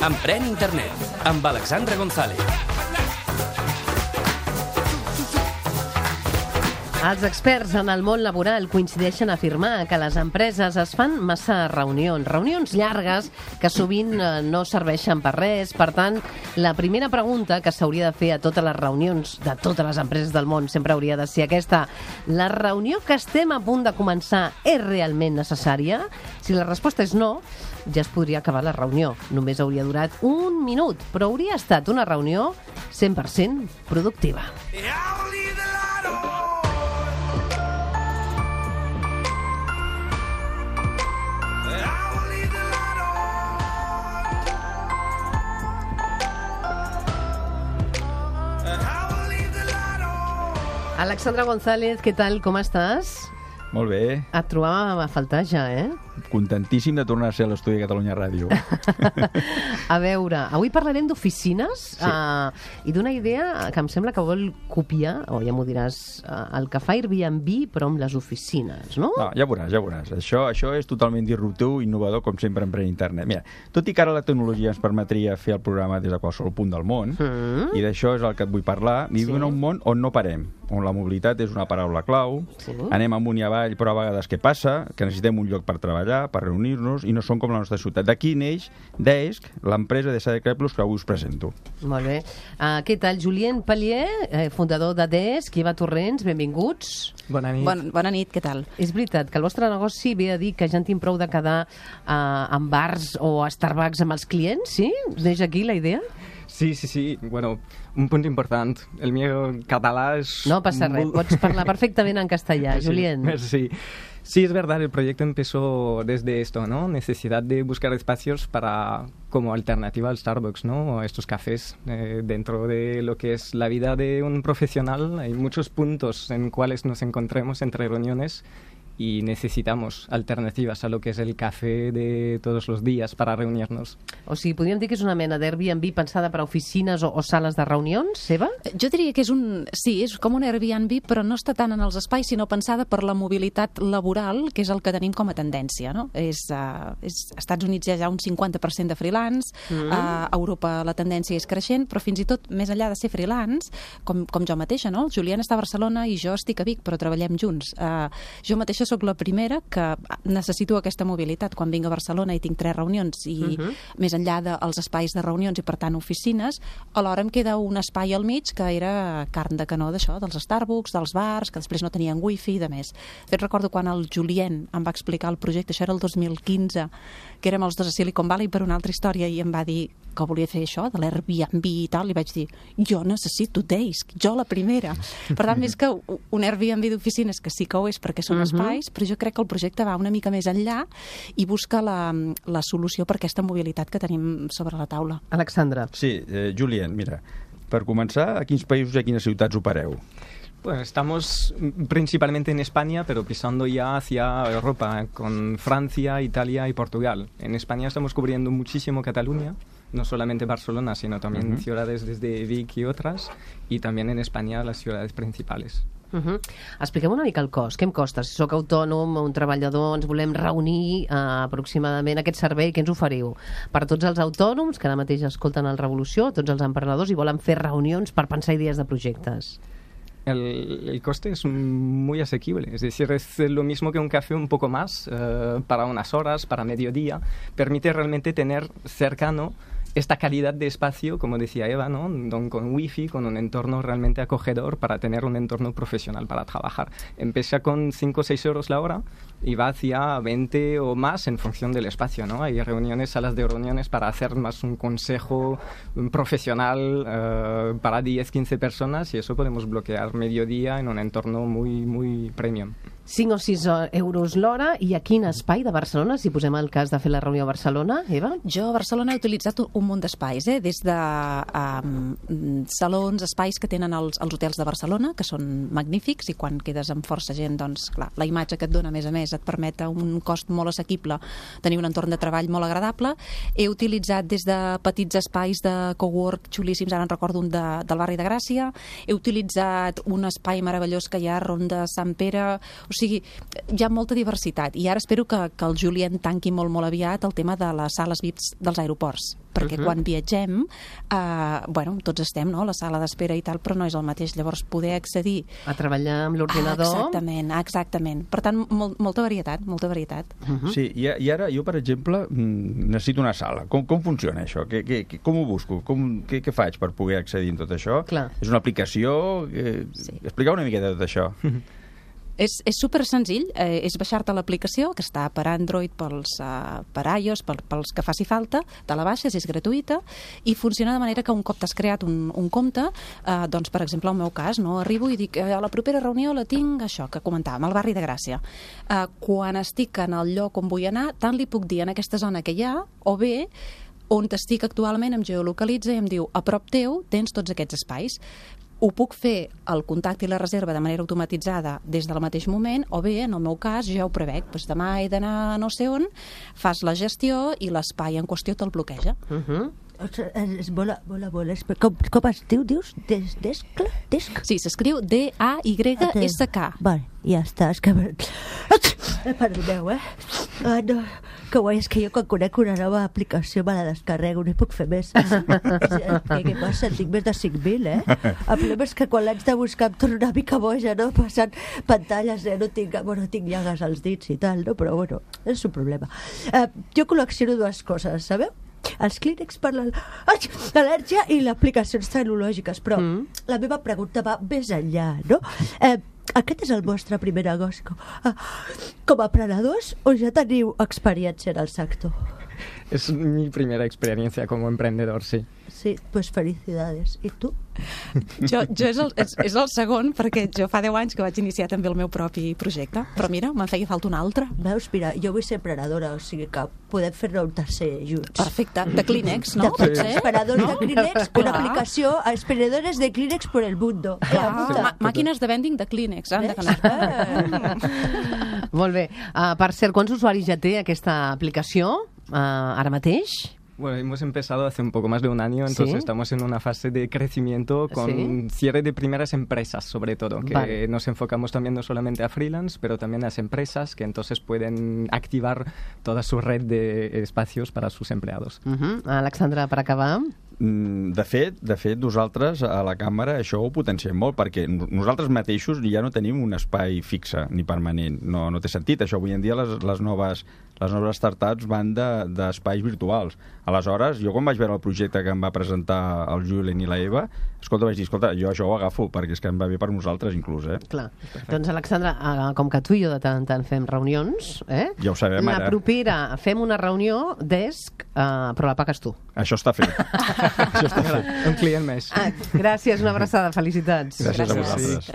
Emprèn Internet, amb Alexandra González. Els experts en el món laboral coincideixen a afirmar que les empreses es fan massa reunions llargues que sovint no serveixen per res. Per tant, la primera pregunta que s'hauria de fer a totes les reunions de totes les empreses del món sempre hauria de ser aquesta: la reunió que estem a punt de començar és realment necessària? Si la resposta és no, ja es podria acabar la reunió. Només hauria durat un minut, però hauria estat una reunió 100% productiva. Alexandra González, què tal? Com estàs? Molt bé. Et trobàvem a faltar ja, eh? Contentíssim de tornar a ser a l'estudi de Catalunya Ràdio. A veure, avui parlarem d'oficines, sí. I d'una idea que em sembla que vol copiar, o ja m'ho diràs, el que fa Airbnb, però amb les oficines, no? No, ja veuràs. Això és totalment disruptiu, innovador, com sempre en Emprèn Internet. Mira, tot i que ara la tecnologia ens permetria fer el programa des de qualsevol punt del món, i d'això és el que et vull parlar, vivim en un món on no parem, on la mobilitat és una paraula clau, anem amunt i avall, però a vegades què passa? Que necessitem un lloc per treballar, per reunir-nos, i no som com la nostra ciutat. D'aquí neix Desk, l'empresa de Sadecret Plus que avui us presento. Molt bé. Què tal, Julien Pellier, fundador de Desk, i Eva Torrents, benvinguts. Bona nit. Bona nit, què tal? És veritat que el vostre negoci ve a dir que ja en tinc prou de quedar en bars o a Starbucks amb els clients, sí? Neix aquí la idea? Sí. Bueno, un punt important. El meu català es... No passa res, pots parlar perfectament en castellà, Julien. Sí. Sí, es verdad, el proyecto empezó desde esto, ¿no? Necesidad de buscar espacios para como alternativa al Starbucks, ¿no? Estos cafés. Dentro de lo que es la vida de un profesional hay muchos puntos en cuales nos encontremos entre reuniones y necesitamos alternativas a lo que és el cafè de tots els dies per a reunir-nos. O sigui, podríem dir que és una mena d'Airbnb pensada per a oficines o sales de reunions, Eva? Jo diria que és com un Airbnb, però no està tant en els espais, sinó pensada per la mobilitat laboral, que és el que tenim com a tendència, no? Als Estats Units hi ha ja un 50% de freelance, a Europa la tendència és creixent, però fins i tot més enllà de ser freelance, com jo mateixa, no? El Julián està a Barcelona i jo estic a Vic, però treballem junts. Jo mateixa sóc la primera que necessito aquesta mobilitat. Quan vinc a Barcelona i tinc 3 reunions i més enllà dels espais de reunions i per tant oficines, alhora em queda un espai al mig que era carn de canó d'això, dels Starbucks, dels bars, que després no tenien wifi i de més. De fet, recordo quan el Julien em va explicar el projecte, això era el 2015, que érem els dos a Silicon Valley per una altra història i em va dir que volia fer això, de l'Airbnb i tal, i vaig dir, jo necessito Desk, jo la primera. Per tant, més que un Airbnb d'oficines, que sí que ho és perquè són espais, però jo crec que el projecte va una mica més enllà i busca la solució per aquesta mobilitat que tenim sobre la taula. Alexandra. Sí, Julien, mira, per començar, a quins països i a quines ciutats opereu? Bueno, estamos principalmente en España, pero pisando ya hacia Europa, con Francia, Italia y Portugal. En España estamos cubriendo muchísimo Cataluña, no solamente Barcelona, sino también ciudades desde Vic y otras, y también en España las ciudades principales. Expliquem una mica el cost. Què em costa? Si sóc autònom, un treballador, ens volem reunir aproximadament aquest servei, què ens oferiu? Per a tots els autònoms que ara mateix escolten el Revolució, tots els emprenedors i volen fer reunions per pensar idees de projectes. El coste es muy asequible, es decir, es lo mismo que un café un poco más, para unas horas, para mediodía, permite realmente tener cercano esta calidad de espacio, como decía Eva, ¿no? Con wifi, con un entorno realmente acogedor para tener un entorno profesional para trabajar. Empieza con 5 o 6 euros la hora y va hacia 20 o más en función del espacio, ¿no? Hay reuniones, salas de reuniones para hacer más un consejo profesional para 10, 15 personas y eso podemos bloquear mediodía en un entorno muy, muy premium. 5 o 6 euros l'hora, i a quin espai de Barcelona, si posem el cas de fer la reunió a Barcelona, Eva? Jo a Barcelona he utilitzat un munt d'espais, des de salons, espais que tenen els hotels de Barcelona, que són magnífics, i quan quedes amb força gent, doncs, clar, la imatge que et dona, a més, et permet a un cost molt assequible tenir un entorn de treball molt agradable. He utilitzat des de petits espais de cowork xulíssims, ara en recordo un del barri de Gràcia, he utilitzat un espai meravellós que hi ha a Ronda Sant Pere, o sigui, hi ha molta diversitat, i ara espero que el Julien tanqui molt aviat el tema de les sales VIPs dels aeroports, perquè quan viatgem, tots estem, no?, a la sala d'espera i tal, però no és el mateix, llavors poder accedir a treballar amb l'ordinador. Exactament. Per tant, molta varietat. Sí, i ara jo, per exemple, necessito una sala. Com funciona això? Com ho busco? Què faig per poder accedir a tot això? Clar. És una aplicació? Sí. Expliqueu una miqueta de tot això. És super senzill, és baixar-te l'aplicació, que està per Android, per iOS, pels que faci falta, te la baixes, és gratuïta, i funciona de manera que un cop t'has creat un compte, doncs, per exemple, en el meu cas, no, arribo i dic, a la propera reunió la tinc, això que comentàvem, al barri de Gràcia. Quan estic en el lloc on vull anar, tant li puc dir en aquesta zona que hi ha, o bé, on estic actualment em geolocalitza i em diu, a prop teu tens tots aquests espais. Ho puc fer el contacte i la reserva de manera automatitzada des del mateix moment, o bé, en el meu cas, jo ja ho prevec. Doncs demà he d'anar no sé on, fas la gestió i l'espai en qüestió te'l bloqueja. Com es dius? Desk? Sí, s'escriu D-A-Y-S-K. Vale, ja està. És que... Perdoneu, no, que guai, és que jo quan conec una nova aplicació me la descarrego, no hi puc fer més. Què passa? En tinc més de 5.000, El problema és que quan l'haig de buscar em torno una mica boja, no? Passant pantalles, no tinc llagues als dits i tal, no? Però bueno, és un problema. Jo col·lecciono dues coses, sabeu? Els clínex per l'al·lèrgia i aplicacions tecnològiques, però la meva pregunta va més enllà, no? Aquest és el vostre primer negoci com a emprenedors o ja teniu experiència en el sector? Es mi primera experiencia como emprendedor, sí. Sí, pues felicidades. I tu? Jo és el segon, perquè jo fa 10 anys que vaig iniciar també el meu propi projecte, però mira, me'n feia falta un altre. Veus, mira, jo vull ser emprenedora, o sigui que podem fer-ne un tercer junts. Perfecte, de Kleenex, no? Sí. Emperadors de Kleenex, una aplicació a emprendedores de Kleenex por el mundo. Màquines de vending de Kleenex, anda que no. Molt bé. Per cert, quants usuaris ja té aquesta aplicació ara mateix? Bueno, hemos empezado hace un poco más de un año, entonces estamos en una fase de crecimiento con cierre de primeras empresas, sobre todo, que nos enfocamos también no solamente a freelance, pero también a las empresas que entonces pueden activar toda su red de espacios para sus empleados. Alexandra, per acabar... De fet, nosaltres a la càmera això ho potenciem molt, perquè nosaltres mateixos ja no tenim un espai fixe ni permanent. No té sentit. Això avui en dia les noves startups van d'espais virtuals. Aleshores, jo quan vaig veure el projecte que em va presentar el Julien i la Eva, vaig dir, jo això ho agafo, perquè és que em va bé per nosaltres inclús. Clar. Doncs, Alexandra, com que tu i jo de tant en tant fem reunions, ja ho sabem ara. La propera fem una reunió desk, però la pagues tu. Això està fet. Això està fet. Un client més. Gràcies, una abraçada, felicitats. Gràcies a vosaltres. Gràcies.